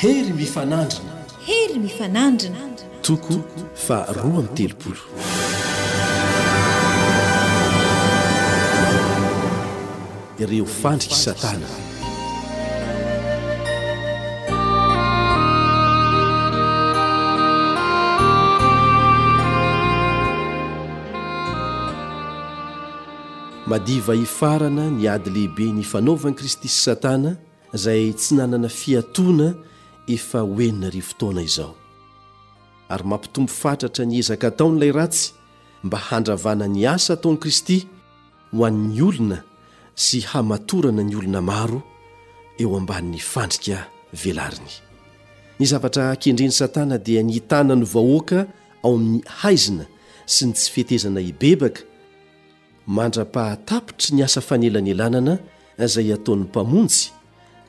Hery mifanandrina. Hery mifanandrina. Toko faha 32. Ireo fandrik'i Satana. Madiva hifarana ny ady lehibe nifanaovan'i Kristy sy Satana izay tsy nanana fiatoana efa ho 6000 taona izao. Ary mampitombo fatratra ny ezaka ataony ilay ratsy mba handravana ny asa ataon'i Kristy ho an'ny olona sy hamatorana ny olona maro eo ambanin'ny fandrika velariny. Ny zavatra kendren'i Satana dia ny hitana ny vahoaka ao amin'ny haizina sy ny tsy fetezana hibebaka mandra-pahatapitry ny asa fanelanelanana izay ataon'ny Mpamonjy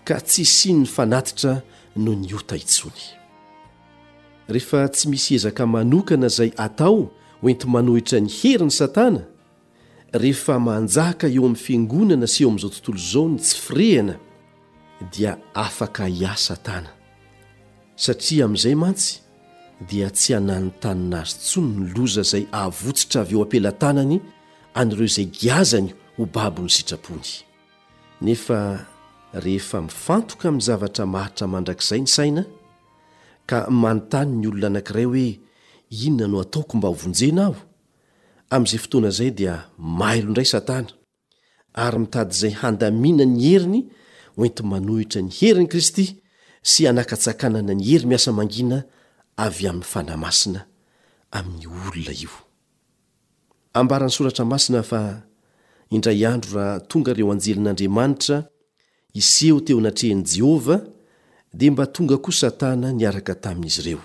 ka tsy hisian'ny fanatitra noho ny ota intsony. Rehefa tsy misy ezaka manokana izay atao hoenti-manohitra ny herin'i Satana, Rehefa manjaka eo amin'ny fiangonana sy eo amin'izao tontolo izao ny tsy firehana dia afaka hiasa Satana. Satria amin'izay mantsy dia tsy hananontanona azy intsony ny loza izay avotsitra avy eo am-pelatanany an'ireo izay giazany ho babon'ny sitrapony. Nefa rehefa mifantoka amin'ny zavatra maharitra mandrakizay ny saina, ka manontany ny olona anankiray hoe inona no ataoko mba hovonjena aho? Amin'izay fotoana izay dia mailo indray Satana, ary mitady izay handamina ny heriny hoenti-manohitra ny herin'i Kristy sy hanakatsakanana ny hery miasa mangina avy amin'ny Fanahy Masina amin'io olona io. Ambaran'ny Soratra Masina fa indray andro raha tonga ireo anjelin'Andriamanitra hiseho teo anatrehan'i Jehovah, dia mba tonga koa Satana niaraka tamin'izy ireo.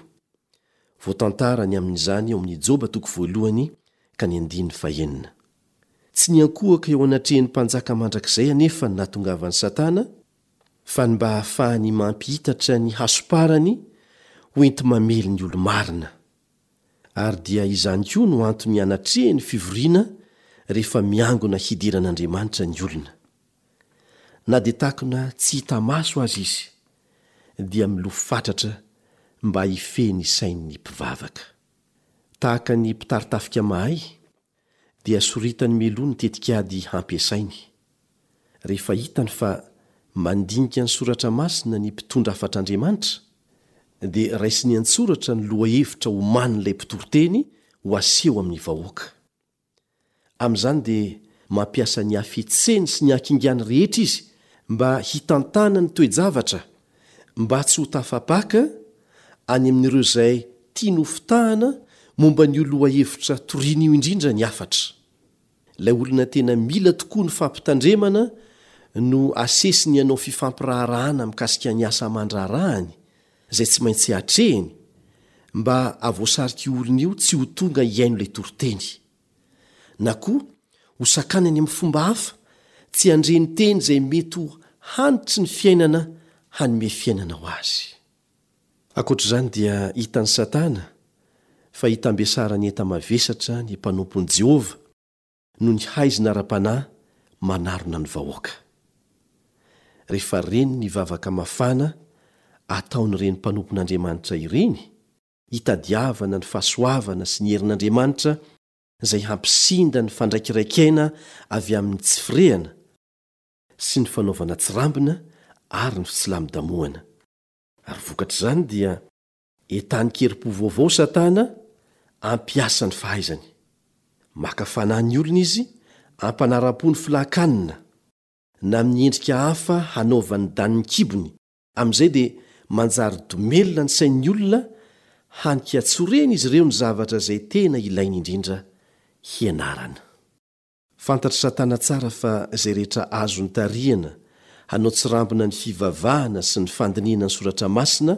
Voatantara ny amin'izany ao amin'ny Joba toko voalohany ka ny andininy fahenina. Tsy niankohoka eo anatrehan'ny Mpanjaka mandrakizay anefa ny nahatongavan'i Satana, fa ny mba hahafahany mampihitatra ny hasomparany ho enti-mamely ny olo-marina. Ary dia izany koa no antony anatrehany fivoriana rehefa miangona hidiran'Andriamanitra ny olona. Na dia takona tsy hita maso aza izy, dia milofo fatratra mba hifehy ny sain'ny mpivavaka. Tahaka ny mpitari-tafika mahay, dia soritany mialoha ny tetikady hampiasainy. Rehefa hitany fa mandinika ny Soratra Masina ny mpitondra hafatr'Andriamanitra, dia raisiny an-tsoratra ny lohahevitra omanin'ilay mpitoriteny ho aseho amin'ny vahoaka. Amin'izany dia mampiasa ny hafetseny sy ny hakingany rehetra izy mba hitantana ny toe-javatra mba tsy ho tafapaka any amin'ireo izay tiany hofitahana momba an'io lohahevitra toriany io indrindra ny hafatra. Ilay olona tena mila tokoa ny fampitandremana no asesiny hanao fifampiraharahana mikasika ny asa aman-draharahany izay tsy maintsy atrehiny mba havoasarika io olona io tsy ho tonga hihaino ilay toriteny. Na koa ho sakanany amin'ny fomba hafa tsy handre ny teny izay mety ho hanitry ny fiainana hanome fiainana ho azy. Ankoatra izany dia hitan'i Satana fa hitambesaran'ny enta-mavesatra ny mpanompon'i Jehovah noho ny haizina ara-panahy manarona ny vahoaka. Rehefa reny ny vavaka mafana ataon'ireny mpanompon'Andriamanitra ireny, hitadiavana ny fahasoavana sy ny herin'Andriamanitra izay hampisinda ny fandraikiraikena avy amin'ny tsy firehana sy ny fanaovana tsirambina ary ny fitsilamodamohana. Ary vokatr'izany dia Entanin-kerim-po vaovao Satana hampiasa ny fahaizany. Maka fanahy ny olona izy hampanara-po ny filan-kanina, na amin'ny endrika hafa hanaovany danin'ny kibony, amin'izay dia manjary domelina ny sain'ny olona hany ka tsy ho ren'izy ireo ny zavatra izay tena ilainy indrindra hianarana. Fantatr'i Satana tsara fa izay rehetra azony tarihana hanao tsirambina ny fivavahana sy ny fandinihana ny Soratra Masina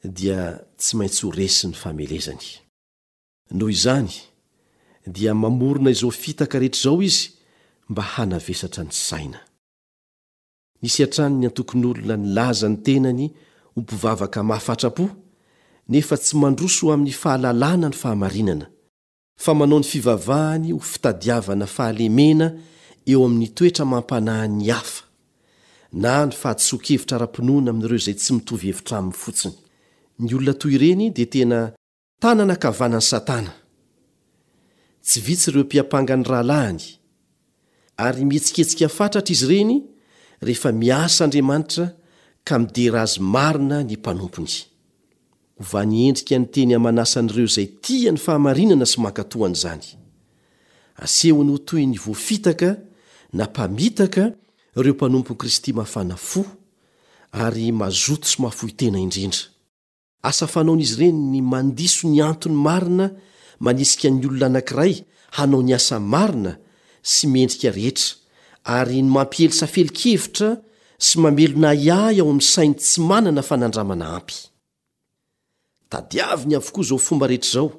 dia tsy maintsy ho resy ny famelezany. Noho izany, dia mamorona izao fitaka rehetra izao izy mba hanavesatra ny saina. Nisy hatrany ny antokon'olona nilaza ny tenany ho mpivavaka mahafatra-po, nefa tsy mandroso ho amin'ny fahalalana ny fahamarinana, fa manao ny fivavahany ho fitadiavana fahalemena eo amin'ny toetra amam-panahin'ny hafa. na ny fahadisoan-kevitra ara-pinoana amin'ireo izay tsy mitovy hevitra aminy fotsiny. Ny olona toy ireny dia tena tanana ankavanan'i Satana. Tsy vitsy ireo mpiampanga ny rahalahiny, ary mihetsiketsika fatratra izy ireny rehefa miasa Andriamanitra ka midera Azy marina ny mpanompony. Ovany endrika ny teny aman'asan'ireo izay tia ny fahamarinana sy mankatò an'izany. Asehony ho toy ny voafitaka na mpamitaka ireo mpanompon'i Kristy mafana fo ary mazoto sy mahafoy tena indrindra. Asa fanaon'izy ireny ny mandiso ny antony marina manisika ny olona anankiray hanao ny asa marina sy mendrika rehetra, ary ny mampiely safelin-kevitra sy mamelona ahiahy ao amin'ny sainy tsy manana fanandramana ampy. Tadiaviny avokoa izao fomba rehetra izao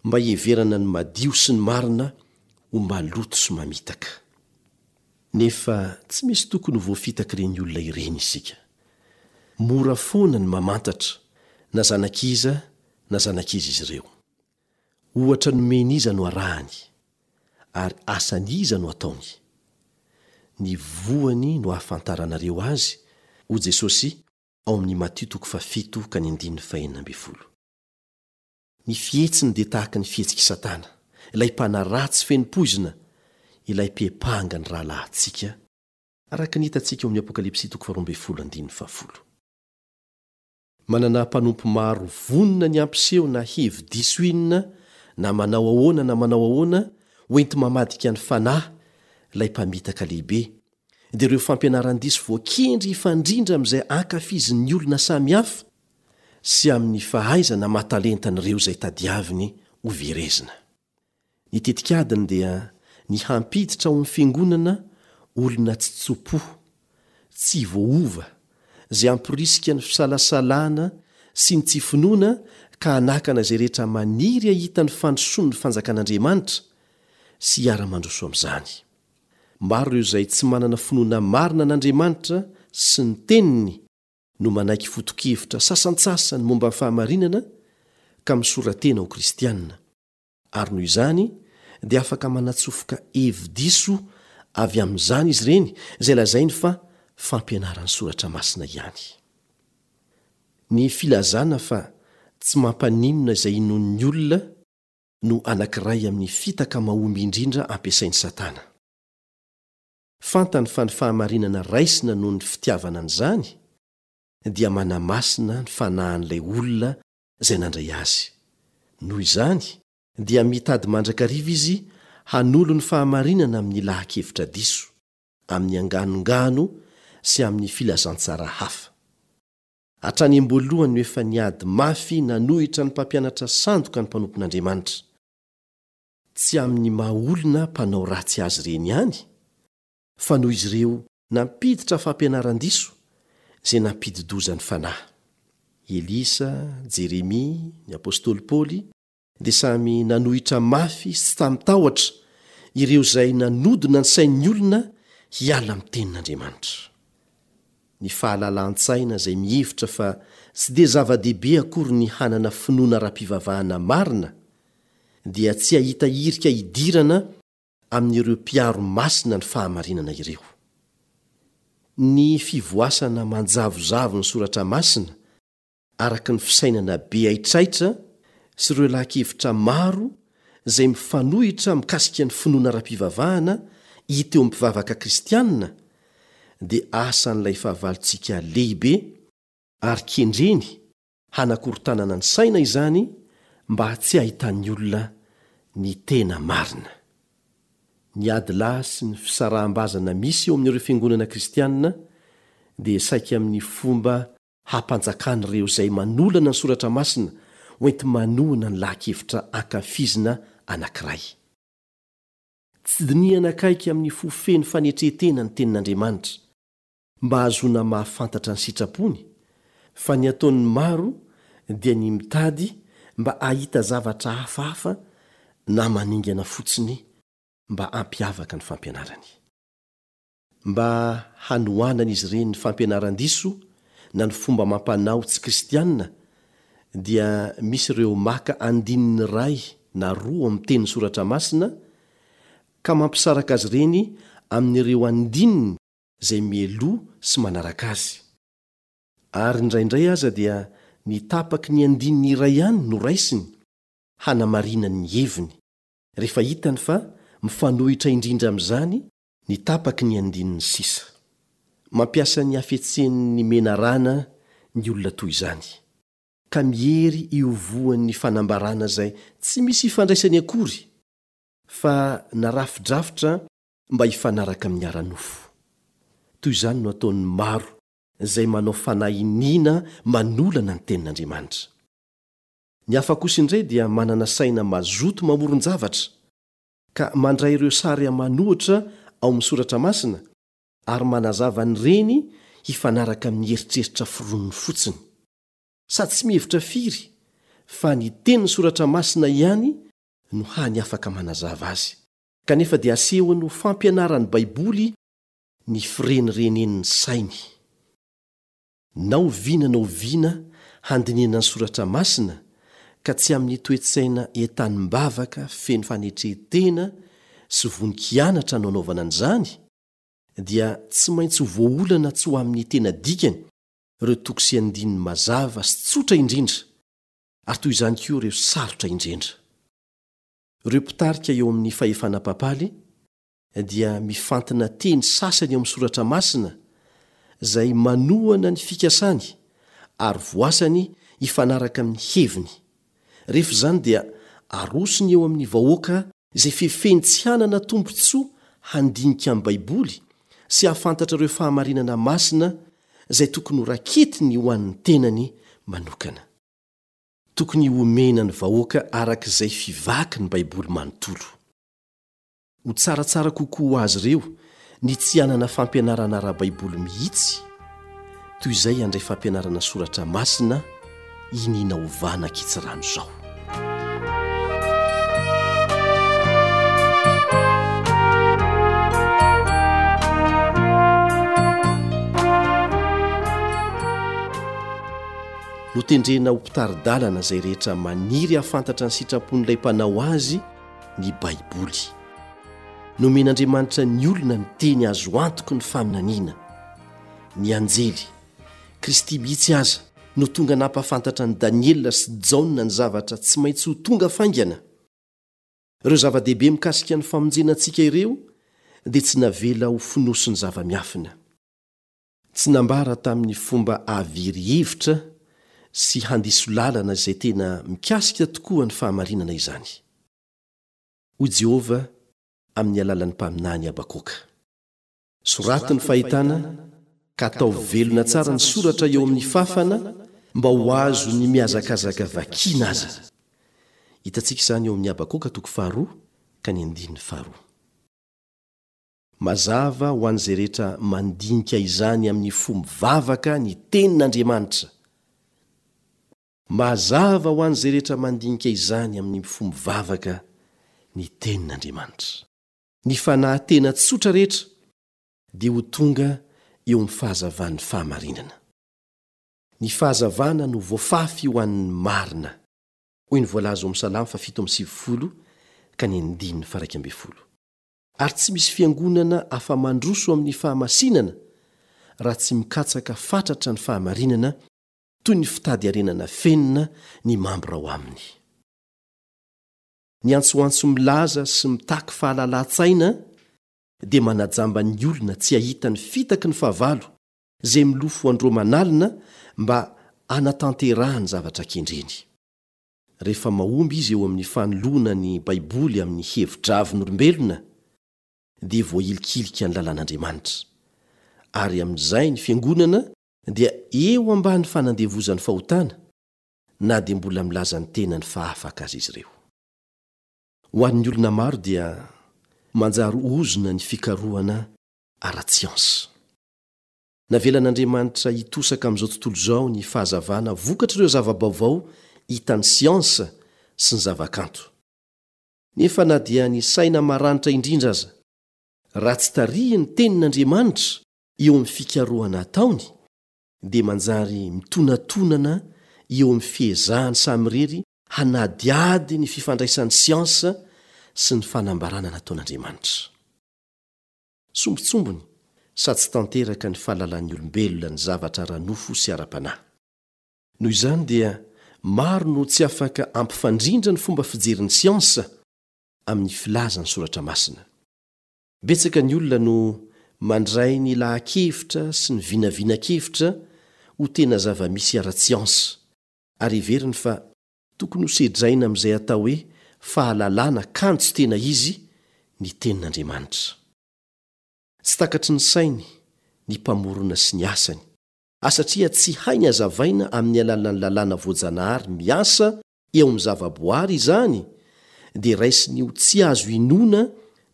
mba hiheverana ny madio sy ny marina ho maloto sy mamitaka. Nefa tsy misy tokony ho voafitak'ireny olona ireny isika. Mora foana ny mamantatra na zanak'iza na zanak'iza izy ireo. Ohatra nomen'iza no arahany, ary asan'iza no ataony? Ny voany no ahafantaranareo azy, hoy Jesosy ao amin'ny Matio toko fahafito ka ny andininy fahenina ambin'ny folo. Ny fihetsiny dia tahaka ny fihetsik'i Satana, ilay mpanaratsy feno poizina, ilay mpiampanga ny rahalahintsika, araka ny hitantsika ao amin'ny Apokalypsy toko faharoa ambin'ny folo andininy fahafolo. Manana mpanompo maro vonona ny hampiseho na hevi-diso inona na manao ahoana na manao ahoana hoenti-mamadika ny fanahy ilay mpamitaka lehibe, dia ireo fampianaran-diso voakendry hifandrindra amin'izay ankafizin'ny olona samihafa sy amin'ny fahaizana aman-talentan'ireo izay tadiaviny hoverezina. Ny tetikadiny dia ny hampiditra ao amin'ny fiangonana olona tsy tso-po, tsy voaova, izay hamporisika ny fisalasalana sy ny tsy finoana ka hanakana izay rehetra maniry hahita ny fandrosoan'ny fanjakan'Andriamanitra sy hiara-mandroso amin'izany. Maro ireo izay tsy manana finoana marina an'Andriamanitra sy ny Teniny no manaiky foto-kevitra sasantsasany momba ny fahamarinana ka misora-tena ho kristiana. Ary noho izany dia afaka manatsofoka hevi-diso avy amin'izany izy ireny izay lazainy fa fampianaran'ny Soratra Masina ihany. Ny filazana fa tsy mampaninona izay inoan'ny olona no anankiray amin'ny fitaka mahomby indrindra ampiasain'i Satana. Fantany fa ny fahamarinana raisina noho ny fitiavana an'izany dia manamasina ny fanahin'ilay olona izay nandray azy. Noho izany, dia mitady mandrakariva izy hanolo ny fahamarinana amin'ny laha-kevitra diso, amin'ny anganongano sy amin'ny filazantsara hafa. Hatrany am-boalohany no efa niady mafy nanohitra ny mpampianatra sandoka ny mpanompon'Andriamanitra, tsy amin'ny maha-olona mpanao ratsy azy ireny ihany, fa noho izy ireo nampiditra fampianaran-diso izay nampidi-doza ny fanahy. Elisa, Jeremia, ny apostoly Paoly dia samy nanohitra mafy sy tsy tamin-tahotra ireo izay nanodina ny sain'ny olona hiala amin'ny Tenin'Andriamanitra. Ny fahalalan-tsaina izay mihevitra fa tsy dia zava-dehibe akory ny hanana finoana ara-pivavahana marina dia tsy hahita hirika hidirana amin'ireo mpiaro masina ny fahamarinana ireo. Ny fivoasana manjavozavo ny soratra masina araka ny fisainana be haitraitra sy ireo laha-kevitra maro izay mifanohitra mikasika ny finoana ara-pivavahana hita eo amin'ny mpivavaka kristiana dia asan'ilay fahavalontsika lehibe ary kendreny Hanakorontanana ny saina izany mba tsy hahitan'ny olona ny tena marina. Ny ady lahy sy ny fisaraham-bazana misy eo amin'ireo fiangonana kristiana dia saika amin'ny fomba hampanjakan'ireo izay manolana ny Soratra Masina ho enti-manohana ny laha-kevitra ankafizina anankiray. Tsy dinihana akaiky amin'ny fo feno fanetren-tena ny Tenin'Andriamanitra, mba hahazoana mahafantatra ny sitrapony, fa ny ataon'ny maro dia ny mitady mba hahita zavatra hafahafa na maningana fotsiny mba hampiavaka ny fampianarany. Mba hanohanan'izy ireny ny fampianaran-diso na ny fomba amam-panao tsy kristiana dia misy ireo maka andininy iray na roa ao amin'ny tenin'ny Soratra Masina ka mampisaraka azy ireny amin'ireo andininy. izay mialoha sy manaraka azy. Ary indraindray aza dia ny tapaky ny andininy iray ihany no raisiny hanamarinany ny heviny, rehefa hitany fa mifanohitra indrindra amin'izany ny tapaky ny andininy sisa. Mampiasa ny hafetsen'ny menarana ny olona toy izany, ka miery io voan'ny fanambarana izay tsy misy ifandraisany akory, fa narafidrafitra mba hifanaraka amin'ny ara-nofo. Toy izany no ataon'ny maro izay manao fanahy iniana manolana ny Tenin'Andriamanitra. Ny hafa kosa indray dia manana saina mazoto mamoron-javatra, ka mandray ireo sary aman'ohatra ao amin'ny Soratra Masina ary manazava an'ireny hifanaraka amin'ny eritreritra foroniny fotsiny. Sady tsy mihevitra firy fa ny tenin'ny Soratra Masina ihany no hany afaka manazava azy, kanefa dia asehony ho fampianaran'ny Baiboly ny firenirenen'ny sainy. Na oviana na oviana handinihana ny Soratra Masina ka tsy amin'ny toe-tsaina entanim-bavaka feno fanetren-tena sy vonon-kianatra no anaovana an'izany, dia tsy maintsy ho voaolana tsy ho amin'ny tena dikany ireo toko sy andininy mazava sy tsotra indrindra, ary toy izany koa ireo sarotra indrindra. Ireo mpitarika eo amin'ny fahefana papaly dia mifantina teny sasany ao amin'ny Soratra Masina izay manohana ny fikasany ary voasany hifanaraka amin'ny heviny. Rehefa izany dia arosony eo amin'ny vahoaka izay fefeny tsy hanana tombontsoa handinika ny Baiboly sy hahafantatra ireo fahamarinana masina izay tokony ho raketiny ho an'ny tenany manokana. Tokony homena ny vahoaka araka izay fivaky ny Baiboly manontolo. Ho tsaratsara kokoa ho azy ireo ny tsy hanana fampianarana ara-baiboly mihitsy, toy izay handray fampianarana soratra masina iniana ovana ankitsirano izao. Notendrena ho mpitari-dalana izay rehetra maniry hahafantatra ny sitrapon'ilay Mpanao azy ny Baiboly. Nomen'Andriamanitra ny olona ny teny azo antoky ny faminaniana. Ny anjely, Kristy mihitsy aza, no tonga nampahafantatra an'i Daniela sy Jaona ny zavatra tsy maintsy ho tonga faingana. Ireo zava-dehibe mikasika ny famonjena antsika ireo dia tsy navela ho fonosin'ny zava-miafina. Tsy nambara tamin'ny fomba hahavery hevitra sy handiso lalana izay tena mikasika tokoa ny fahamarinana izany. Hoy Jehovah amin'ny alalan'ny mpaminany Habakoka, Soraty ny fahitana, ka ataovy velona tsara ny soratra eo amin'ny fafana, mba ho azon'ny mihazakazaka vakina aza. Hitantsika izany eo amin'ny Habakoka toko faharoa ka ny andininy faharoa. Mazava ho an'izay rehetra mandinika izany amin'ny fo mivavaka ny Tenin'Andriamanitra. Mazava ho an'izay rehetra mandinika izany amin'ny fo mivavaka ny Tenin'Andriamanitra. Ny fanahy tena tsotra rehetra dia ho tonga eo amin'ny fahazavan'ny fahamarinana. Ny fahazavana no voafafy ho an'ny marina, hoy ny voalaza ao amin'ny Salamo faha-97 ka ny andininy faha-11. Ary tsy misy fiangonana afa-mandroso amin'ny fahamasinana raha tsy mikatsaka fatratra ny fahamarinana toy ny fitady harena nafenina ny mambra ao aminy. Ny antsoantso milaza sy mitaky fahalalan-tsaina dia manajamba ny olona tsy hahita ny fitaky ny fahavalo izay milofo andro aman'alina mba hanatanterahany zavatra kendreny. Rehefa mahomby izy eo amin'ny fanoloana ny Baiboly amin'ny hevi-dravin'olombelona, dia voahilikilika ny lalàn'Andriamanitra. Ary amin'izay ny fiangonana dia eo ambany fanandevozan'ny fahotana, na dia mbola milaza ny tenany fa afaka aza izy ireo. Ho an'ny olona maro dia manjary ozona ny fikarohana ara-tsiansa. Navelan'Andriamanitra hitosaka amin'izao tontolo izao ny fahazavana vokatr'ireo zava-baovao hitan'ny siansa sy ny zavakanto. Nefa na dia ny saina maranitra indrindra aza, raha tsy tarihin'ny Tenin'Andriamanitra eo amin'ny fikarohana ataony, dia manjary mitonatonana eo amin'ny fiezahany samirery hanadihady ny fifandraisan'ny siansa sy ny fanambarana nataon'Andriamanitra. Sombintsombiny. sady tsy tanteraka ny fahalalan'ny olombelona ny zavatra ara-nofo sy ara-panahy. Noho izany dia maro no tsy afaka hampifandrindra ny fomba fijerin'ny siansa amin'ny filazan'ny Soratra Masina. Betsaka ny olona no mandray ny laha-kevitra sy ny vinavinan-kevitra ho tena zava-misy ara-tsiansa, ary heveriny fa tokony hosedraina amin'izay atao hoe fahalalana kanjo tena izy ny Tenin'Andriamanitra. Tsy takatry ny sainy ny Mpamorona sy ny asany, a satria tsy hainy hazavaina amin'ny alalan'ny lalàna voajanahary miasa eo amin'ny zavaboary izany, dia raisiny ho tsy azo inoana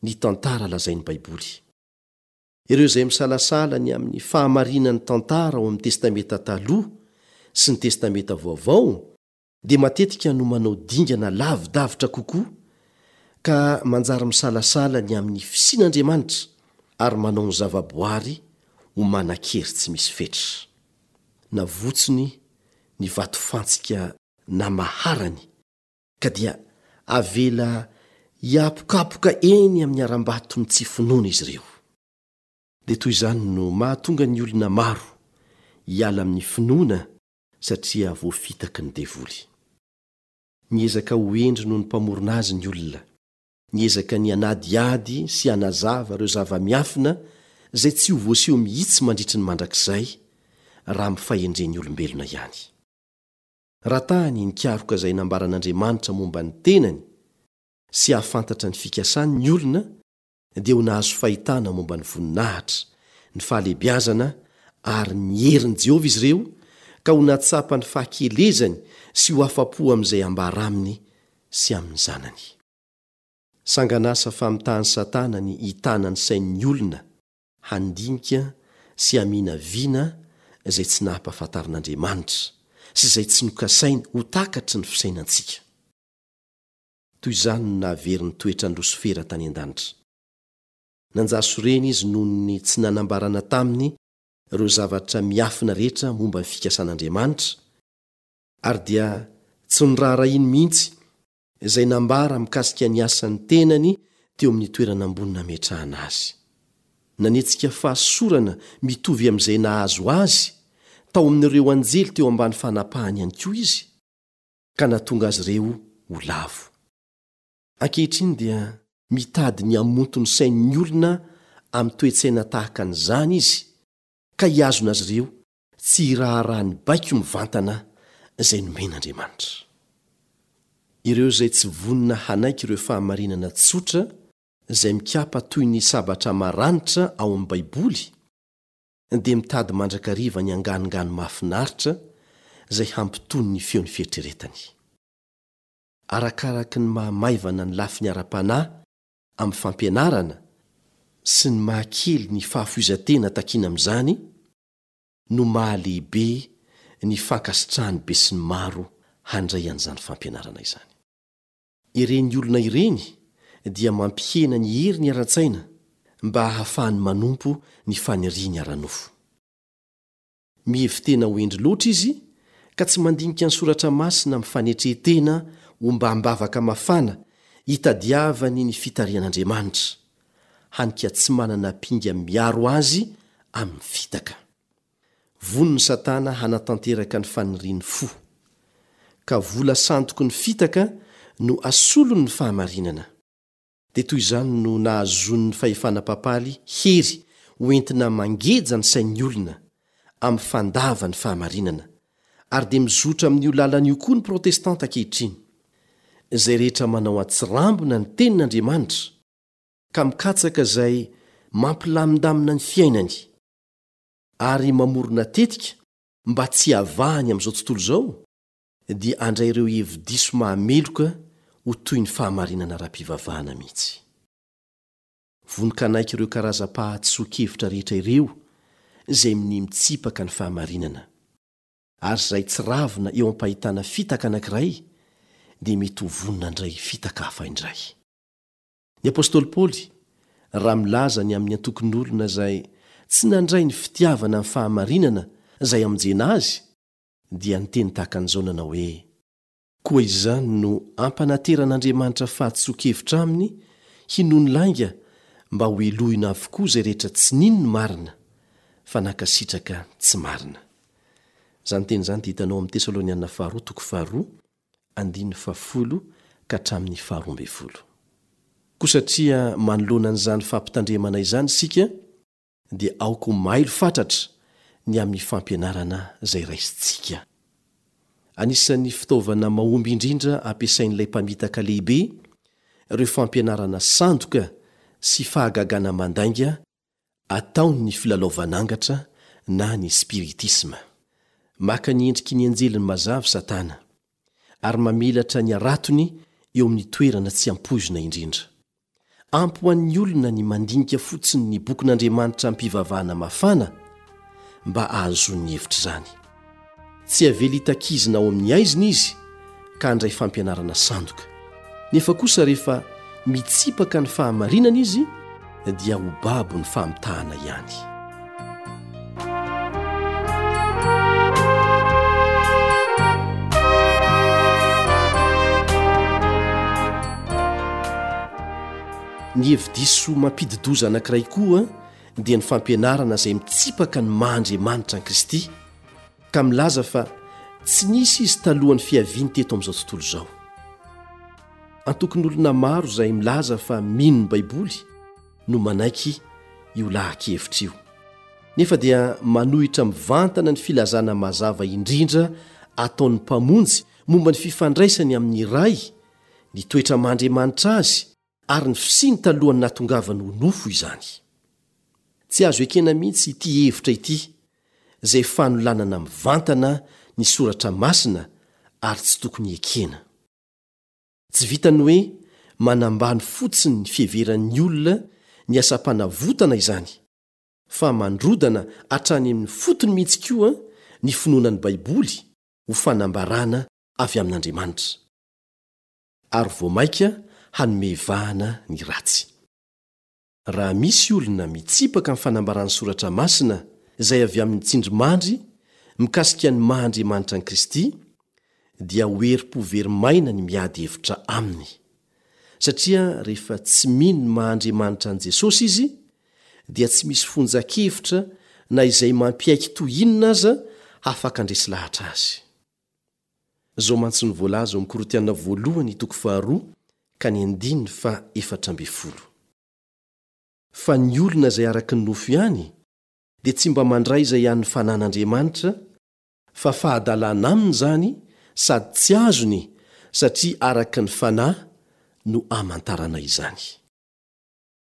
ny tantara lazain'ny Baiboly. Ireo izay misalasala ny amin'ny fahamarinan'ny tantara ao amin'ny Testamenta Taloha sy ny Testamenta Vaovao dia matetika no manao dingana lavidavitra kokoa ka manjary misalasala ny amin'ny fisian'Andriamanitra ary manao ny zavaboary ho manan-kery tsy misy fetra. Navotsony ny vatofantsika namaharany ka dia avela hiapokapoka eny amin'ny harambaton'ny tsy finoana izy ireo. Dia toy izany no mahatonga ny olona maro hiala amin'ny finoana satria voafitaky ny devoly. Miezaka ho hendry noho ny Mpamorona azy ny olona. Miezaka ny hanadihady sy hanazava ireo zava-miafina izay tsy ho voaseho mihitsy mandritry ny mandrakizay raha amin'ny fahendren'ny olombelona ihany. Raha tany nikaroka izay nambaran'Andriamanitra momba ny tenany sy hahafantatra ny fikasany ny olona, dia ho nahazo fahitana momba ny voninahitra, ny fahalehibiazana ary ny herin'i Jehovah izy ireo, ka ho nahatsapa ny fahakelezany sy ho afa-po amin'izay ambara aminy sy amin'ny Zanany. Sangan'asa famitahan'i Satana ny hitana ny sain'ny olona handinika sy haminavina izay tsy nahampahafantarin'Andriamanitra sy izay tsy nokasainy ho takatry ny fisainantsika. Toy izany no nahavery ny toetran'i Losifera tany an-danitra. Nanjary sorena izy noho ny tsy nanambarana taminy ireo zavatra miafina rehetra momba ny fikasan'Andriamanitra, ary dia tsy noraharahiany mihitsy izay nambara mikasika ny asan'ny tenany teo amin'ny toerana ambony nametrahana azy. Nanetsika fahasosorana mitovy amin'izay nahazo azy tao amin'ireo anjely teo ambany fanapahany ihany koa izy, ka nahatonga azy ireo ho lavo. Ankehitriny dia mitady ny hamonto ny sain'ny olona amin'ny toe-tsaina tahaka an'izany izy, ka hihazona azy ireo tsy hiraharaha ny baiko mivantana izay nomen'Andriamanitra. Ireo izay tsy vonona hanaiky ireo fahamarinana tsotra izay mikapa toy ny sabatra maranitra ao amin'ny Baiboly dia mitady mandrakariva ny anganongano mahafinaritra izay hampitony ny feon'ny fieritreretany. Arakaraky ny maha-maivana ny lafiny ara-panahy amin'ny fampianarana sy ny maha-kely ny fahafoizan-tena takiana amin'izany no maha-lehibe ny fankasitrahan'ny besinimaro handray an'izany fampianarana izany. Ireny olona ireny dia mampihena ny heriny ara-tsaina mba hahafahany manompo ny faniriany ara-nofo. Mihevi-tena ho hendry loatra izy ka tsy mandinika ny Soratra Masina amin'ny fanetren-tena ombam-bavaka mafana hitadiavany ny fitarihan'Andriamanitra, hany ka tsy manana ampinga miaro azy amin'ny fitaka. Vonona Satana hanatanteraka ny fanirian'ny fo, ka vola sandoky ny fitaka no asolony ny fahamarinana. Dia toy izany no nahazoan'ny fahefana papaly hery ho entina mangeja ny sain'ny olona amin'ny fandava ny fahamarinana, ary dia mizotra amin'io lalana io koa ny protestanta ankehitriny. Izay rehetra manao an-tsirambina ny Tenin'Andriamanitra, ka mikatsaka izay mampilamindamina ny fiainany, ary mamorona tetika mba tsy hiavahany amin'izao tontolo izao, dia handray ireo hevi-diso mahameloka ho toy ny fahamarinana ara-pivavahana mihitsy. Vonon-kanaiky ireo karazam-pahadisoan-kevitra rehetra ireo izay minia mitsipaka ny fahamarinana. Ary izay tsy ravina eo am-pahitana fitaka anankiray dia mety ho vonona handray fitaka hafa indray. Ny apostoly Paoly, raha milaza ny amin'ny antokon'olona izay tsy nandray ny fitiavana ny fahamarinana izay hamonjena azy, dia niteny tahaka an'izao nanao hoe, Koa izany no ampanateran'Andriamanitra fahadisoan-kevitra aminy hinoany lainga. mba hohelohina avokoa izay rehetra tsy nino ny marina fa nankasitraka tsy marina. Izany teny izany dia hitanao amin'ny Tesaloniana faharoa toko faharoa andininy fahafolo ka hatramin'ny faharoa ambin'ny folo. Koa satria manoloana an'izany fampitandremana izany isika dia aoka ho mailo fatratra ny amin'ny fampianarana izay raisintsika. Anisan'ny fitaovana mahomby indrindra ampiasain'ilay mpamitaka lehibe ireo fampianarana sandoka sy fahagagana mandainga ataon'ny filalaovan'angatra na ny spiritisma. Maka ny endriky ny anjeliny mazava Satana, ary mamelatra ny haratony eo amin'ny toerana tsy ampoizina indrindra. Ampy ho an'ny olona ny mandinika fotsiny ny bokin'Andriamanitra amim-pivavahana mafana mba hahazoany ny hevitr'izany. Tsy avela hitakizina ao amin'ny haizina izy ka handray fampianarana sandoka. Nefa kosa rehefa mitsipaka ny fahamarinana izy dia ho babo ny famitahana ihany. Ny hevi-diso mampidi-doza anankiray koa dia ny fampianarana izay mitsipaka ny maha Andriamanitra an'i Kristy ka milaza fa tsy nisy izy talohan'ny fiaviany teto amin'izao tontolo izao. Antokon'olona maro izay milaza fa mino ny Baiboly no manaiky io laha-kevitra io. Nefa dia manohitra mivantana ny filazana mazava indrindra ataon'ny Mpamonjy momba ny fifandraisany amin'ny Ray, ny toetra maha-Andriamanitra Azy ary ny fisiany talohan'ny nahatongavany ho nofo izany. Tsy azo ekena mihitsy ity hevitra ity, izay fanolanana mivantana ny Soratra Masina ary tsy tokony hekena. Tsy vitan'ny hoe manambany fotsiny ny fiheveran'ny olona ny asam-panavotana izany, fa mandrodana hatrany amin'ny fotony mihitsy koa ny finoana ny Baiboly ho fanambarana avy amin'Andriamanitra, ary vao mainka hanome vahana ny ratsy. Raha misy olona mitsipaka ny fanambaran'ny Soratra Masina izay avy amin'ny tsindrimandry mikasika ny maha Andriamanitra an'i Kristy, dia ho herim-po very maina ny miady hevitra aminy. Satria rehefa tsy mino ny maha Andriamanitra an'i Jesosy izy, dia tsy misy fonjan-kevitra na izay mampiaiky toy inona aza hafaka handresy lahatra azy. Izao mantsy no voalaza ao amin'ny Korintiana voalohany toko faharoa ka ny andininy faha 14. Fa ny olona izay araka ny nofo ihany dia tsy mba mandray izay an'ny fanan'Andriamanitra, fa fahadalana aminy izany sady tsy azony satria araka ny fanahy no amantarana izany.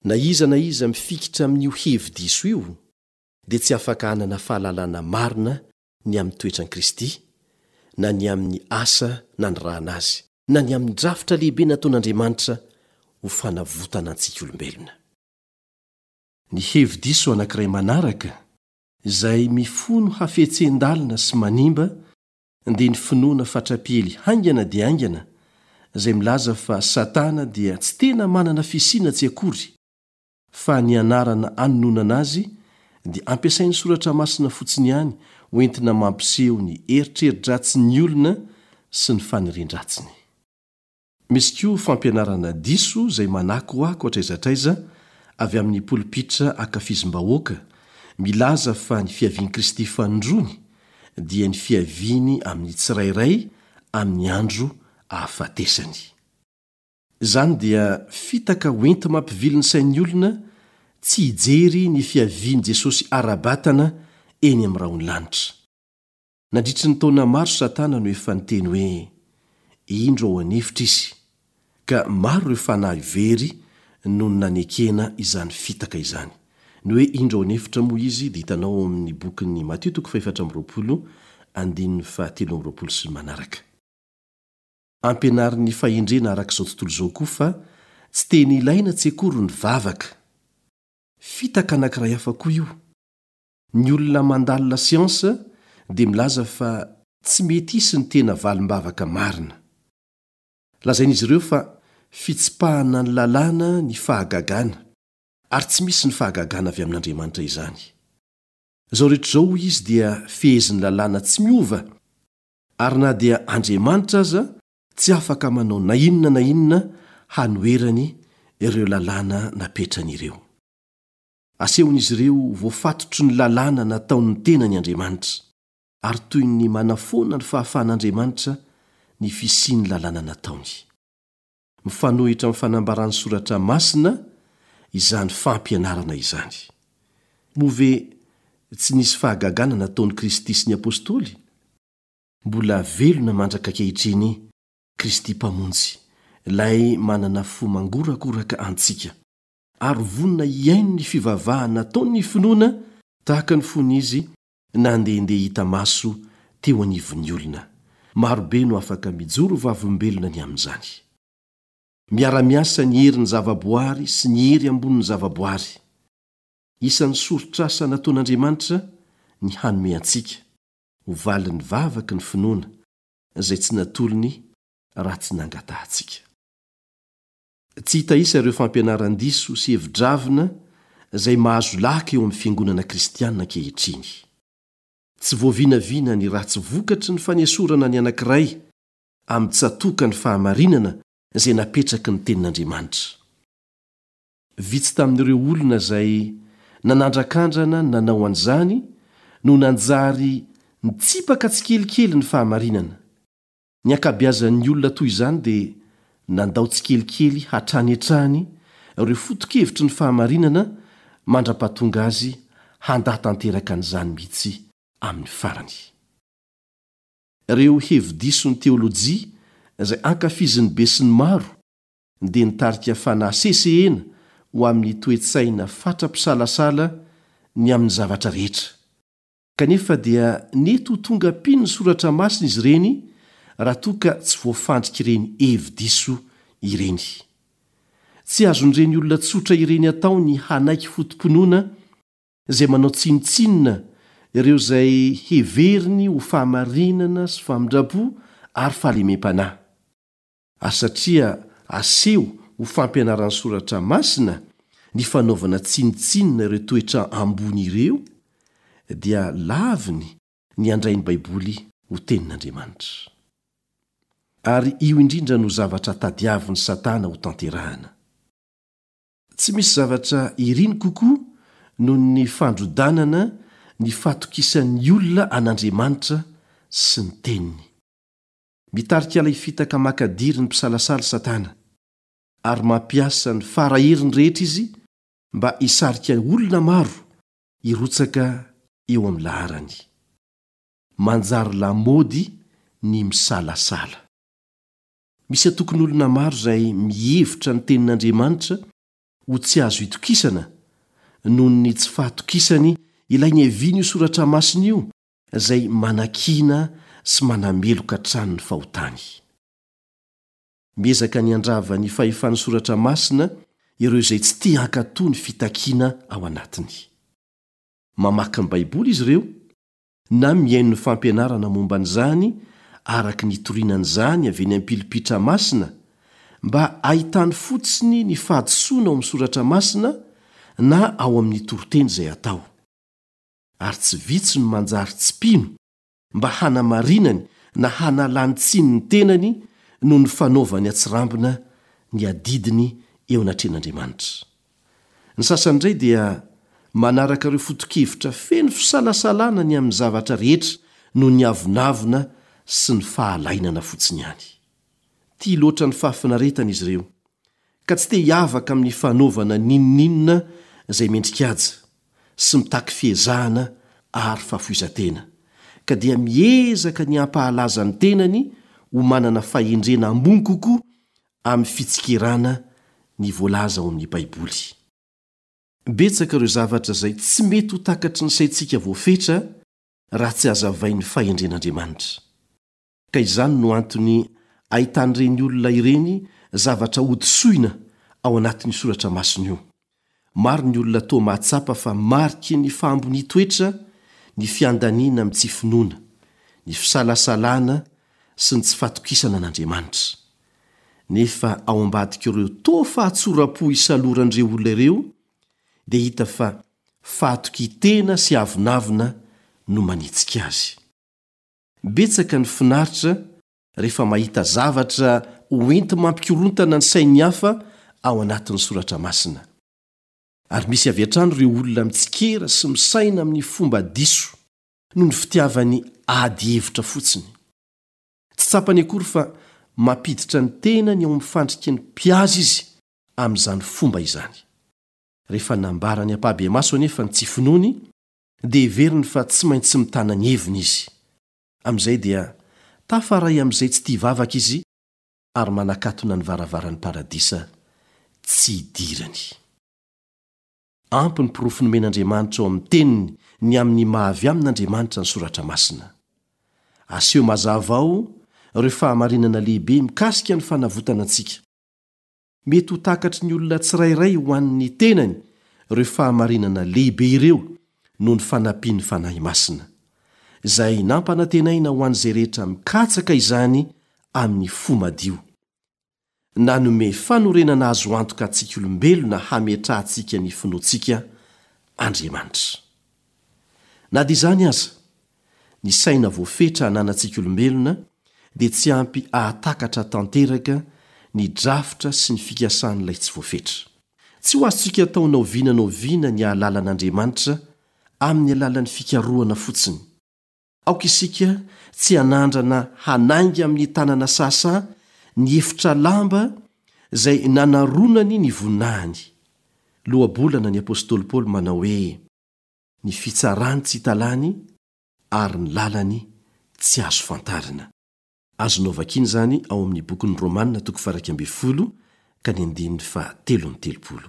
Na iza na iza mifikitra amin'io hevi-diso io dia tsy afaka hanana fahalalana marina ny amin'ny toetran'i Kristy, na ny amin'ny asa nanirahana azy, na ny amin'ny drafitra lehibe nataon'Andriamanitra ho fanavotana antsika olombelona. Ny hevi-diso anankiray manaraka, izay mifono hafetsen-dalina sy manimba, dia ny finoana fatra-piely haingana dia haingana, izay milaza fa Satana dia tsy tena manana fisiana tsy akory, fa ny anarana anononana azy dia ampiasain'ny Soratra Masina fotsiny ihany ho entina mampiseho ny eritreri-dratsin'ny olona sy ny fanirian-dratsiny. Misy koa fampianarana diso izay manakoako hatraiza hatraiza avy amin'ny polipitra ankafizim-bahoaka, milaza fa ny fiavian'i Kristy fanindroany dia ny fiaviany amin'ny tsirairay amin'ny andro ahafatesany. Izany dia fitaka hoenti-mampivily ny sain'ny olona tsy hijery ny fiavian'i Jesosy ara-batana eny amin'ny rahon'ny lanitra. Nandritry ny taona maro Satana no efa niteny hoe, Indro ao an'efitra izy, ka maro ireo fanahy very noho ny nanekena izany fitaka izany. Ny hoe indro ao an'efitra moa izy dia hitanao ao amin'ny bokin'ny Matio toko fahefatra amby 20 andininy fahatelo amby 20 sy ny manaraka. Ampianarin'ny fahendrena araka izao tontolo izao koa fa tsy tena ilaina tsy akory ny vavaka. Fitaka anankiray hafa koa io. Ny olona mandalina siansa dia milaza fa tsy mety hisy ny tena valim-bavaka marina. Lazain'izy ireo fa fitsipahana ny lalàna ny fahagagana, ary tsy misy ny fahagagana avy amin'Andriamanitra izany. Izao rehetra izao, hoy izy, dia fehezin'ny lalàna tsy miova Ary na dia Andriamanitra aza tsy afaka manao na inona na inona hanoherany ireo lalàna napetrany ireo. Asehon'izy ireo ho voafatotry ny lalàna nataon'ny tenany Andriamanitra, ary toy ny manafoana ny fahafahan'Andriamanitra ny fisian'ny lalàna nataony. Mifanohitra amin'ny fanambaran'ny Soratra Masina izany fampianarana izany. Moa ve tsy nisy fahagagana nataon'i Kristy sy ny apostoly? Mbola velona mandraka ankehitriny Kristy Mpamonjy, Ilay manana fo mangorakoraka antsika, ary vonona hihaino ny fivavahana ataon'ny finoana tahaka ny fony Izy nandehandeha hita maso teo anivon'ny olona. Marobe no afaka mijoro vavolombelona ny amin'izany. Miara-miasa ny herin'ny zavaboary sy ny hery ambonin'ny zavaboary. Isan'ny soritr'asa nataon'Andriamanitra ny hanome antsika, ho valin'ny vavaky ny finoana, izay tsy natolony raha tsy nangatahantsika. Tsy hita isa ireo fampianaran-diso sy hevi-dravina izay mahazo laka eo amin'ny fiangonana kristiana ankehitriny. Tsy voavinavina ny ratsy vokatry ny fanesorana ny anankiray amin'ny tsatòka ny fahamarinana izay napetraky ny Tenin'Andriamanitra. Vitsy tamin'ireo olona izay nanandrakandrana nanao an'izany no nanjary nitsipaka tsikelikely ny fahamarinana. Ny ankabeazan'ny olona toy izany dia nandao tsikelikely hatrany hatrany ireo foto-kevitry ny fahamarinana mandra-pahatonga azy handà tanteraka an'izany mihitsy amin'ny farany. Ireo hevi-dison'ny teolojia izay ankafizin'ny besinimaro dia nitarika fanahy sesehena ho amin'ny toe-tsaina fatra-pisalasala ny amin'ny zavatra rehetra. Kanefa dia nety ho tonga mpino ny Soratra Masina izy ireny raha toa ka tsy voafandrik'ireny hevi-diso ireny. Tsy azon'ireny olona tsotra ireny atao ny hanaiky foto-pinoana izay manao tsinontsinona ireo izay heveriny ho fahamarinana sy famindram-po ary fahalemem-panahy. Ary satria aseho ho fampianaran'ny Soratra Masina ny fanaovana tsinontsinona ireo toetra ambony ireo, dia laviny ny handray ny Baiboly ho Tenin'Andriamanitra. Ary io indrindra no zavatra tadiavin'i Satana hotanterahana. Tsy misy zavatra iriny kokoa noho ny fandrodanana ny fahatokisan'ny olona an'Andriamanitra sy ny Teniny. Mitarika ilay fitaka makadiry ny mpisalasala Satana, ary mampiasa ny fara heriny rehetra izy mba hisarika olona maro hirotsaka eo amin'ny laharany. Manjary lamaody ny misalasala. Misy antokon'olona maro izay mihevitra ny Tenin'Andriamanitra ho tsy azo itokisana noho ny tsy fahatokisany ilay niavian'io soratra masina io izay manakiana sy manameloka hatrany ny fahotany. Miezaka ny handrava ny fahefan'ny Soratra Masina ireo izay tsy te hankatò ny fitakiana ao anatiny. Mamaky ny Baiboly izy ireo, na mihaino ny fampianarana momba an'izany araka ny itoriana an'izany avy eny am-pilipitra masina, mba hahitany fotsiny ny fahadisoana ao amin'ny Soratra Masina na ao amin'ny toriteny izay atao. ary tsy vitsy no manjary tsy mpino mba hanamarinany na hanalany tsiny ny tenany noho ny fanaovany atsirambina ny adidiny eo anatrehan'Andriamanitra. Ny sasany indray dia manaraka ireo foto-kevitra feno fisalasalana ny amin'ny zavatra rehetra noho ny avonavona sy ny fahalainana fotsiny ihany. Tia loatra ny fahafinaretana izy ireo, ka tsy te hiavaka amin'ny fanaovana n'inon'inona izay mendri-kaja sy mitaky fiezahana ary fahafoizan-tena, ka dia miezaka ny hampahalaza ny tenany ho manana fahendrena ambony kokoa amin'ny fitsikerana ny voalaza ao amin'ny Baiboly. Betsaka ireo zavatra izay tsy mety ho takatry ny saintsika voafetra raha tsy hazavain'ny fahendren'Andriamanitra. Ka izany no antony ahitan'ireny olona ireny zavatra hodisoina ao anatin'io soratra masina io. Maro ny olona toa mahatsapa fa mariky ny fahambonian-toetra ny fiandaniana amin'ny tsy finoana, ny fisalasalana sy ny tsy fatokisana an'Andriamanitra. Nefa ao ambadik'ireo toa fahatsoram-po isaloran'ireo olona ireo dia hita fa fahatokian-tena sy avonavona no manetsika azy. Betsaka ny finaritra rehefa mahita zavatra hoenti-mampikorontana ny sain'ny hafa ao anatin'ny Soratra Masina. Ary misy avy hatrany ireo olona mitsikera sy misaina amin'ny fomba diso noho ny fitiavany ady hevitra fotsiny. Tsy tsapany akory fa mampiditra ny tenany ao amin'ny fandriky ny mpihaza izy amin'izany fomba izany. Rehefa nambarany ampahibemaso anefa ny tsy finoany, dia heveriny fa tsy maintsy mitana ny heviny izy. Amin'izay dia tafaray amin'izay tsy tia vavaka izy ary manakatona ny varavaran'ny Paradisa tsy hidirany. Ampy ny porofo nomen'Andriamanitra ao amin'ny Teniny ny amin'ny maha-avy amin'Andriamanitra ny Soratra Masina. Aseho mazava ao ireo fahamarinana lehibe mikasika ny fanavotana antsika. Mety ho takatry ny olona tsirairay ho an'ny tenany ireo fahamarinana lehibe ireo noho ny fanampian'ny Fanahy Masina, izay nampanantenaina ho an'izay rehetra mikatsaka izany amin'ny fo madio. Nanome fanorenana azo antoka antsika olombelona hametrahantsika ny finoantsika Andriamanitra. Na dia izany aza, ny saina voafetra ananantsika olombelona dia tsy ampy hahatakatra tanteraka ny drafitra sy ny fikasan'ilay tsy voafetra. Tsy ho azontsika atao na oviana na oviana ny hahalala an'Andriamanitra amin'ny alalan'ny fikarohana fotsiny. Aoka isika tsy hanandrana hanainga amin'ny tanana sahasaha ny efitra lamba izay nanaronany ny voninahiny. Lohabolana ny apostoly Paoly manao hoe, Ny fitsarany tsy hita lany ary ny lalany tsy azo fantarina. Azonao vakiana izany ao amin'ny bokin'ny Romana toko faha-11 ka ny andininy faha-33.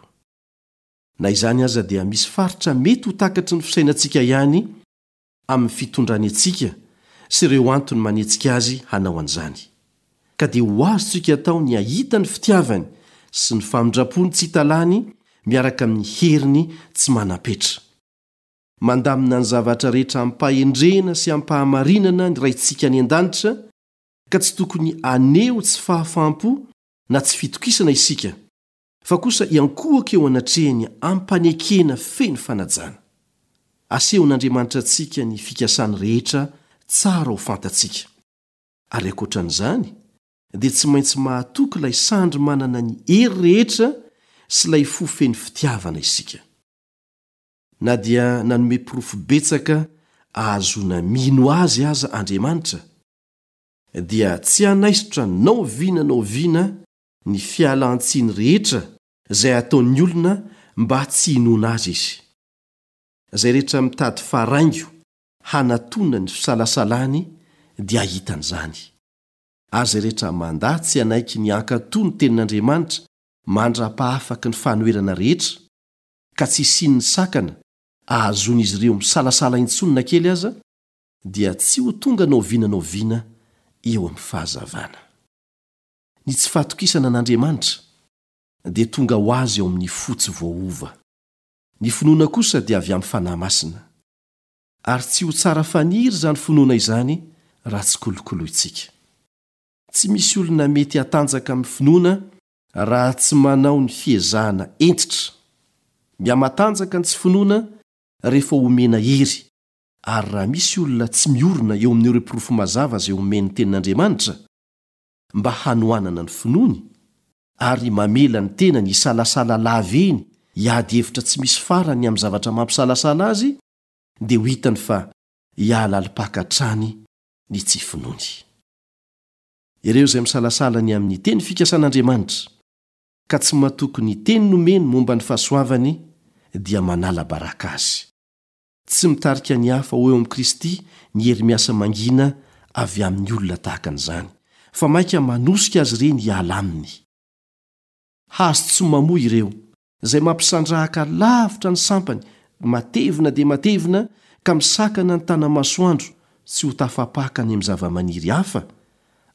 Na izany aza dia misy faritra mety ho takatry ny fisainantsika ihany amin'ny fitondrany antsika sy ireo antony manetsika azy hanao an'izany. Ka dia ho azontsika atao ny hahita ny fitiavany sy ny famindrampony tsy hita lany miaraka amin'ny heriny tsy manam-petra. Mandamina ny zavatra rehetra amim-pahendrena sy amim-pahamarinana ny Raintsika any An-danitra, ka tsy tokony haneho tsy fahafaham-po na tsy fitokisana isika, fa kosa hiankohoka eo anatrehany amim-panekena feno fanajana. Asehon'Andriamanitra antsika ny fikasany rehetra tsara ho fantatsika. Ary ankoatra an'izany, dia tsy maintsy mahatoky ilay sandry manana ny hery rehetra sy ilay fo feno fitiavana isika. Na dia nanome porofo betsaka ahazoana mino azy aza Andriamanitra, dia tsy hanaisotra na oviana na oviana ny fialan-tsiny rehetra izay ataon'ny olona mba tsy hinoana azy izy. Izay rehetra mitady faraingo hanatona ny fisalasalany dia hahita an'izany. Ary izay rehetra mandà tsy hanaiky ny hankatò ny Tenin'Andriamanitra mandra-pahafaky ny fanoherana rehetra, ka tsy hisian'ny sakana ahazoan'izy ireo misalasala intsony na kely aza, dia tsy ho tonga na oviana na oviana eo amin'ny fahazavana. Ny tsy fahatokisana an'Andriamanitra dia tonga ho azy ao amin'ny fo tsy voaova. Ny finoana kosa dia avy amin'ny Fanahy Masina. Ary tsy ho tsara faniry izany finoana izany raha tsy kolokolointsika. Tsy misy olona mety hatanjaka amin'ny finoana raha tsy manao ny fiezahana hentitra. Mihamatanjaka ny tsy finoana rehefa omena hery, ary raha misy olona tsy miorina eo amin'ireo porofo mazava izay omen'ny Tenin'Andriamanitra mba hanohanana ny finoany, ary mamela ny tenany hisalasala lava eny hiady hevitra tsy misy farany amin'ny zavatra mampisalasala azy, dia ho hitany fa hihalalim-paka hatrany ny tsy finoany. Ireo izay misalasala ny amin'ny teny fikasan'Andriamanitra, ka tsy matoky ny teny nomeny momba ny fahasoavany, dia manala baraka azy. Tsy mitarika ny hafa ho eo amin'i Kristy ny hery miasa mangina avy amin'ny olona tahaka an'izany, fa mainka manosika azy ireny hiala aminy. Hazo tsy mamoa ireo, izay mampisandrahaka lavitra ny sampany matevina dia matevina ka misakana ny tana-masoandro tsy ho tafapaka any amin'ny zavamaniry hafa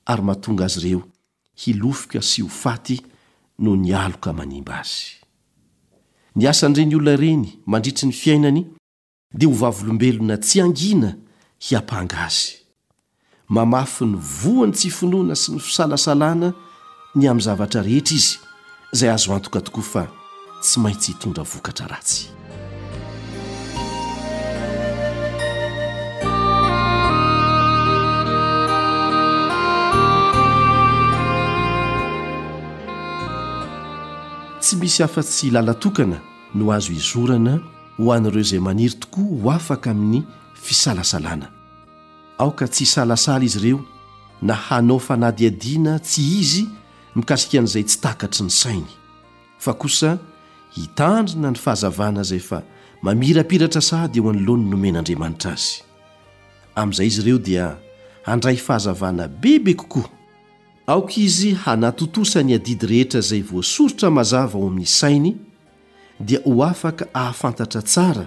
ary mahatonga azy ireo hilofika sy ho faty noho ny aloka manimba azy. Ny asan'ireny olona ireny mandritry ny fiainany dia ho vavolombelona tsy hangina hiampanga azy. Mamafy ny voan'ny tsy finoana sy ny fisalasalana ny amin'ny zavatra rehetra izy, izay azo antoka tokoa fa tsy maintsy hitondra vokatra ratsy. misy afa-tsy lalan-tokana no azo izorana ho an'ireo izay maniry tokoa ho afaka amin'ny fisalasalana. Aoka tsy hisalasala izy ireo na hanao fanadihadiana tsy izy mikasika an'izay tsy takatry ny sainy, fa kosa hitandrina ny fahazavana izay efa mamirapiratra sahady eo anoloany nomen'Andriamanitra azy. Amin'izay izy ireo dia handray fahazavana bebe kokoa. Aoka izy hanatontosa ny adidy rehetra izay voasoritra mazava ao amin'ny sainy, dia ho afaka hahafantatra tsara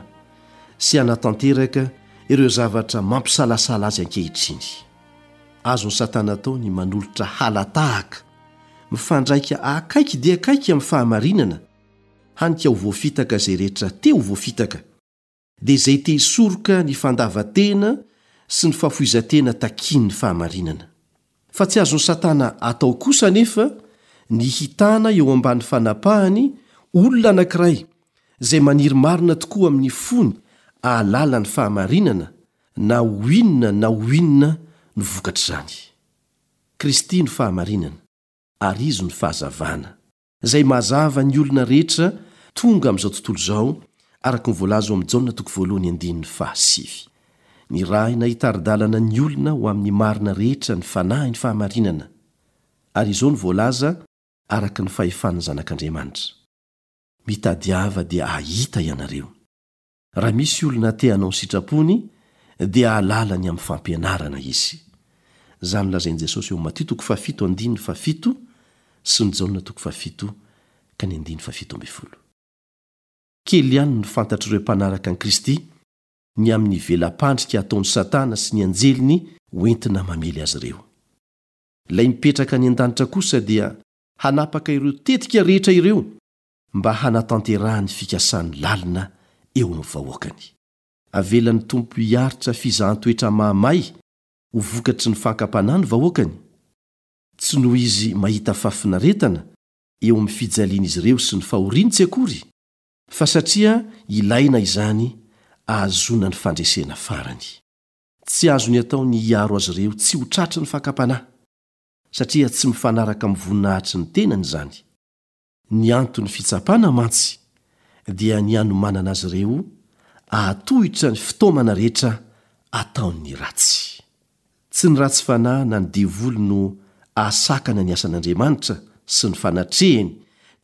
sy hanatanteraka ireo zavatra mampisalasala azy ankehitriny. Azon'i Satana atao ny manolotra hala-tahaka mifandraika akaiky dia akaiky amin'ny fahamarinana, hany ka ho voafitaka izay rehetra te ho voafitaka. dia izay te hisoroka ny fandavan-tena sy ny fahafoizan-tena takian'ny fahamarinana. Fa tsy azon'i Satana atao kosa anefa ny hitana eo ambany fanapahany olona anankiray izay maniry marina tokoa amin'ny fony hahalala ny fahamarinana na ho inona na ho inona no vokatr'izany. Kristy no fahamarinana, ary Izy no fahazavana. Izay mazava ny olona rehetra tonga amin'izao tontolo izao, araka ny voalaza ao amin'ny Jaona toko voalohany andininy fahasivy. Nirahina hitari-dalana ny olona ho amin'ny marina rehetra ny Fanahin'ny fahamarinana. Ary izao no voalaza araka ny fahefan'ny Zanak'Andriamanitra, Mitadiava dia hahita ianareo. Raha misy olona te hanao ny sitrapony dia hahalala ny amin'ny fampianarana izy. Izany lazain'i Jesosy eo amin'ny Matio toko fahafito andininy fahafito sy ny Jaona toko fahafito ka ny andininy fahafito ambin'ny folo. Kely ihany no fantatr'ireo mpanaraka an'i Kristy ny amin'ny vela-pandrika ataon'i Satana sy ny anjeliny hoentina mamely azy ireo. Ilay mipetraka any an-danitra kosa dia hanapaka ireo tetika rehetra ireo mba hanatanterahany fikasany lalina eo amin'ny vahoakany. Avelan'ny Tompo hiaritra fizahan-toetra mahamay ho vokatry ny fankam-panahy ny vahoakany, tsy noho izy mahita fahafinaretana eo amin'ny fijalian'izy ireo sy ny fahoriany tsy akory, fa satria ilaina izany ahazoana ny fandresena farany. Tsy azony atao ny hiaro azy ireo tsy ho tratry ny fakam-panahy, satria tsy mifanaraka amin'ny voninahitry ny tenany izany. Ny anton'ny fitsapana mantsy dia ny hanomanana azy ireo hahatohitra ny fitaomana rehetra ataon'ny ratsy. Tsy ny ratsy fanahy na ny devoly no hahasakana ny asan'Andriamanitra sy ny fanatrehiny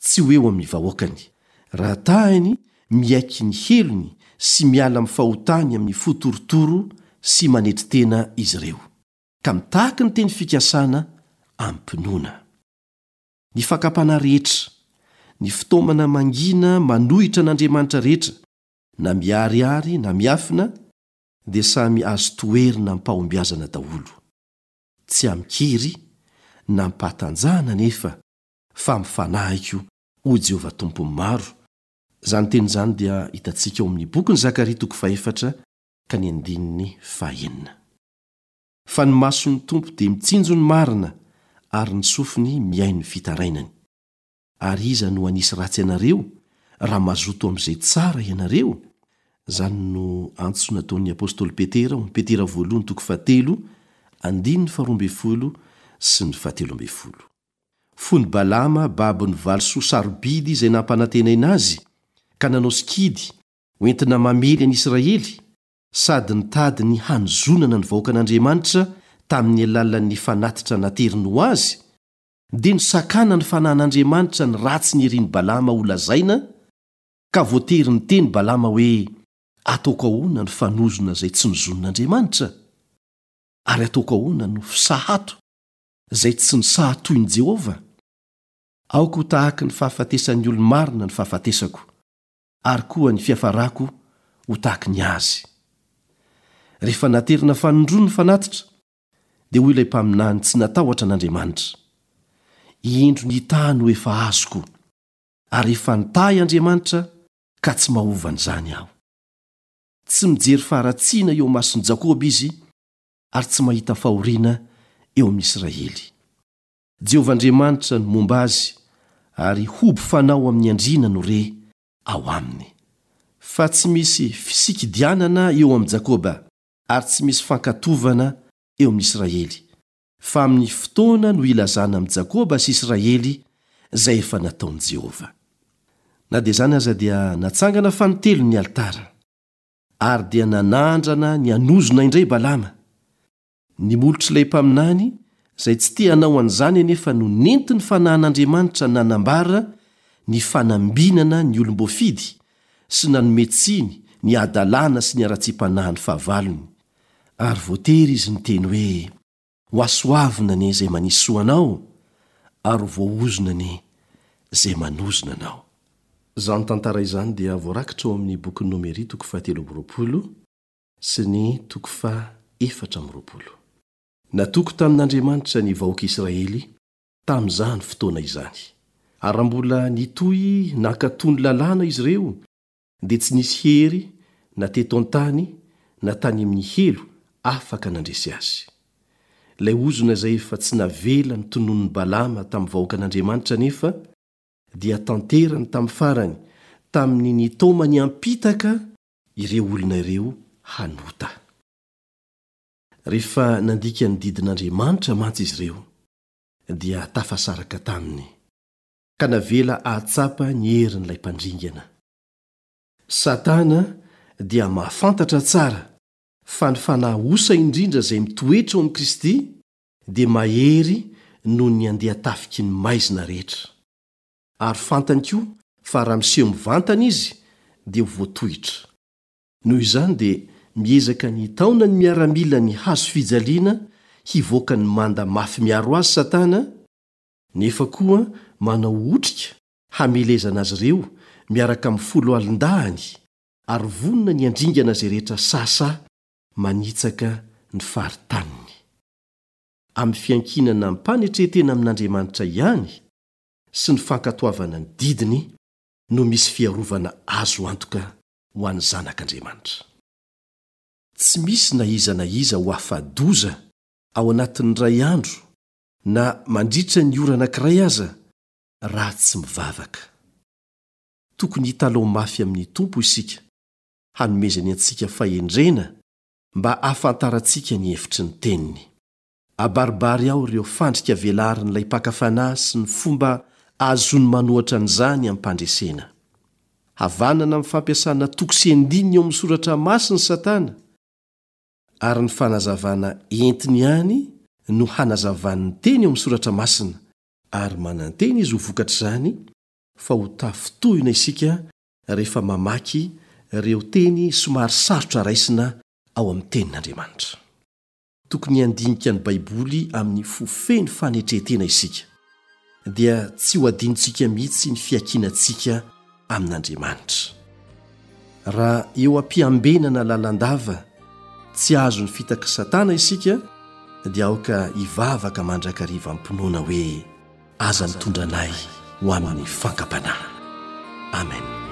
tsy ho eo amin'ny vahoakany. Raha tahiny miaiky ny helony sy miala amin'ny fahotany amin'ny fo torotoro sy manetry tena izy ireo, ka mitaky ny teny fikasana amim-pinoana. Ny fakam-panahy rehetra, ny fitaomana mangina manohitra an'Andriamanitra rehetra, na miharihary na miafina, dia samy azo toherina amim-pahombiazana daholo. Tsy amin-kery na amim-pahatanjahana anefa, fa amin'ny fanahiko, hoy Jehovah Tompon'ny maro. Izany teny izany dia hitantsika ao amin'ny bokin'i Zakaria toko fahefatra ka ny andininy fahenina. Fa ny mason'ny Tompo dia mitsinjo ny marina, ary ny sofiny mihaino ny fitarainany. Ary iza no hanisy ratsy anareo, raha mazoto amin'izay tsara ianareo? Izany no antso nataon'ny apostoly Petera ao amin'ny Petera voalohany toko fahatelo, andininy faharoa ambin'ny folo sy ny fahatelo ambin'ny folo. Fony Balama babo ny valisoa sarobidy izay nampanantenaina azy, ka nanao sikidy hoentina mamely an'i Israely, sady nitady ny hanozonana ny vahoakan'Andriamanitra tamin'ny alalan'ny fanatitra nateriny ho azy, dia nosakana ny fanahin'Andriamanitra ny ratsy nirin'i Balama holazaina, ka voatery niteny Balama hoe, Ataoko ahoana ny fanozona izay tsy nozonin'Andriamanitra? Ary ataoko ahoana no fisahato izay tsy nisahatoin'i Jehovah? Aoka ho tahaky ny fahafatesan'ny olo-marina ny fahafatesako, ary koa ny fiafarako ho tahaky ny azy. Rehefa naterina fanindroany ny fanatitra, dia hoy ilay mpaminany tsy natahotra an'Andriamanitra, Indro ny taha no efa azoko, ary efa nitahy Andriamanitra ka tsy mahova an'izany aho. Tsy mijery faharatsiana eo imason'i Jakoba izy, ary tsy mahita fahoriana eo amin'i Israely. Jehovah Andriamanitra no momba azy, ary hoby fanao amin'ny andriana no re ao aminy. Fa tsy misy fisikidianana eo amin'i Jakoba, ary tsy misy fankatovana eo amin'i Israely, fa amin'ny fotoana no hilazana amin'i Jakoba sy Israely izay efa nataon'i Jehovah. Na dia izany aza dia natsangana fanintelony ny alitara, ary dia nanandrana ny hanozona indray Balama. Ny molotr'ilay mpaminany izay tsy te hanao an'izany anefa no nentin'ny fanahin'Andriamanitra nanambara ny fanambinana ny olom-boafidy sy nanome tsiny ny hadalana sy ny haratsiam-panahin'ny fahavalony, ary voatery izy niteny hoe, Ho hasoavina anie izay manisy soa anao, ary ho voaozona anie izay manozona anao. Izany tantara izany dia voarakitra ao amin'ny bokin'ny Nomery toko fahatelo amby 20 sy ny toko faha 24. Natoky tamin'Andriamanitra ny vahoaka Israely tamin'izany fotoana izany. Ary raha mbola nitohy nankatò ny Lalàna izy ireo, dia tsy nisy hery na teto an-tany na tany amin'ny helo afaka nandresy azy. Ilay ozona izay efa tsy navela notononin'i Balama tamin'ny vahoakan'Andriamanitra anefa dia tanterany tamin'ny farany tamin'ny nitaomany hampitaka ireo olona ireo hanota. Rehefa nandika ny didin'Andriamanitra mantsy izy ireo dia tafasaraka taminy. Ka navela hahatsapa ny herin'ilay mpandringana. Satana dia mahafantatra tsara fa ny fanahy osa indrindra izay mitoetra ao amin'i Kristy dia mahery noho ny andian-tafiky ny maizina rehetra. Ary fantany koa fa raha miseho mivantana izy dia ho voatohitra. Noho izany dia miezaka ny hitaona ny miaramilan'ny hazo fijaliana hivoaka ny manda mafy miaro azy Satana, nefa koa manao otrika hamelezana azy ireo miaraka amin'ny foloalindahiny ary vonona ny handringana izay rehetra sahasahy manitsaka ny faritaniny. Amin'ny fiankinana amim-panetren-tena amin'Andriamanitra ihany sy ny fankatoavana ny didiny no misy fiarovana azo antoka ho an'ny zanak'Andriamanitra. Tsy misy na iza na iza ho afa-doza ao anatin'ny iray andro na mandritra ny ora anankiray aza raha tsy mivavaka. Tokony hitalaho mafy amin'ny Tompo isika hanomezany antsika fahendrena mba hahafantarantsika ny hevitry ny Teniny. Abaribary ao ireo fandrika velarin'ilay mpaka fanahy sy ny fomba ahazoany manohatra an'izany amim-pandresena. Havanana amin'ny fampiasana toko sy andininy ao amin'ny Soratra Masina Satana, ary ny fanazavana entiny ihany no hanazavany ny teny ao amin'ny Soratra Masina, ary manantena izy ho vokatr'izany fa ho tafintohina isika rehefa mamaky ireo teny somary sarotra raisina ao amin'ny Tenin'Andriamanitra. Tokony handinika ny Baiboly amin'ny fo feno fanetren-tena isika, dia tsy ho adinontsika mihitsy ny fiankinantsika amin'Andriamanitra. Raha eo am-piambenana lalandava tsy azon'ny fitak'i Satana isika, dia aoka hivavaka mandrakariva am-pinoana hoe, Aza mitondra anay ho amin'ny fankam-panahy. Amen.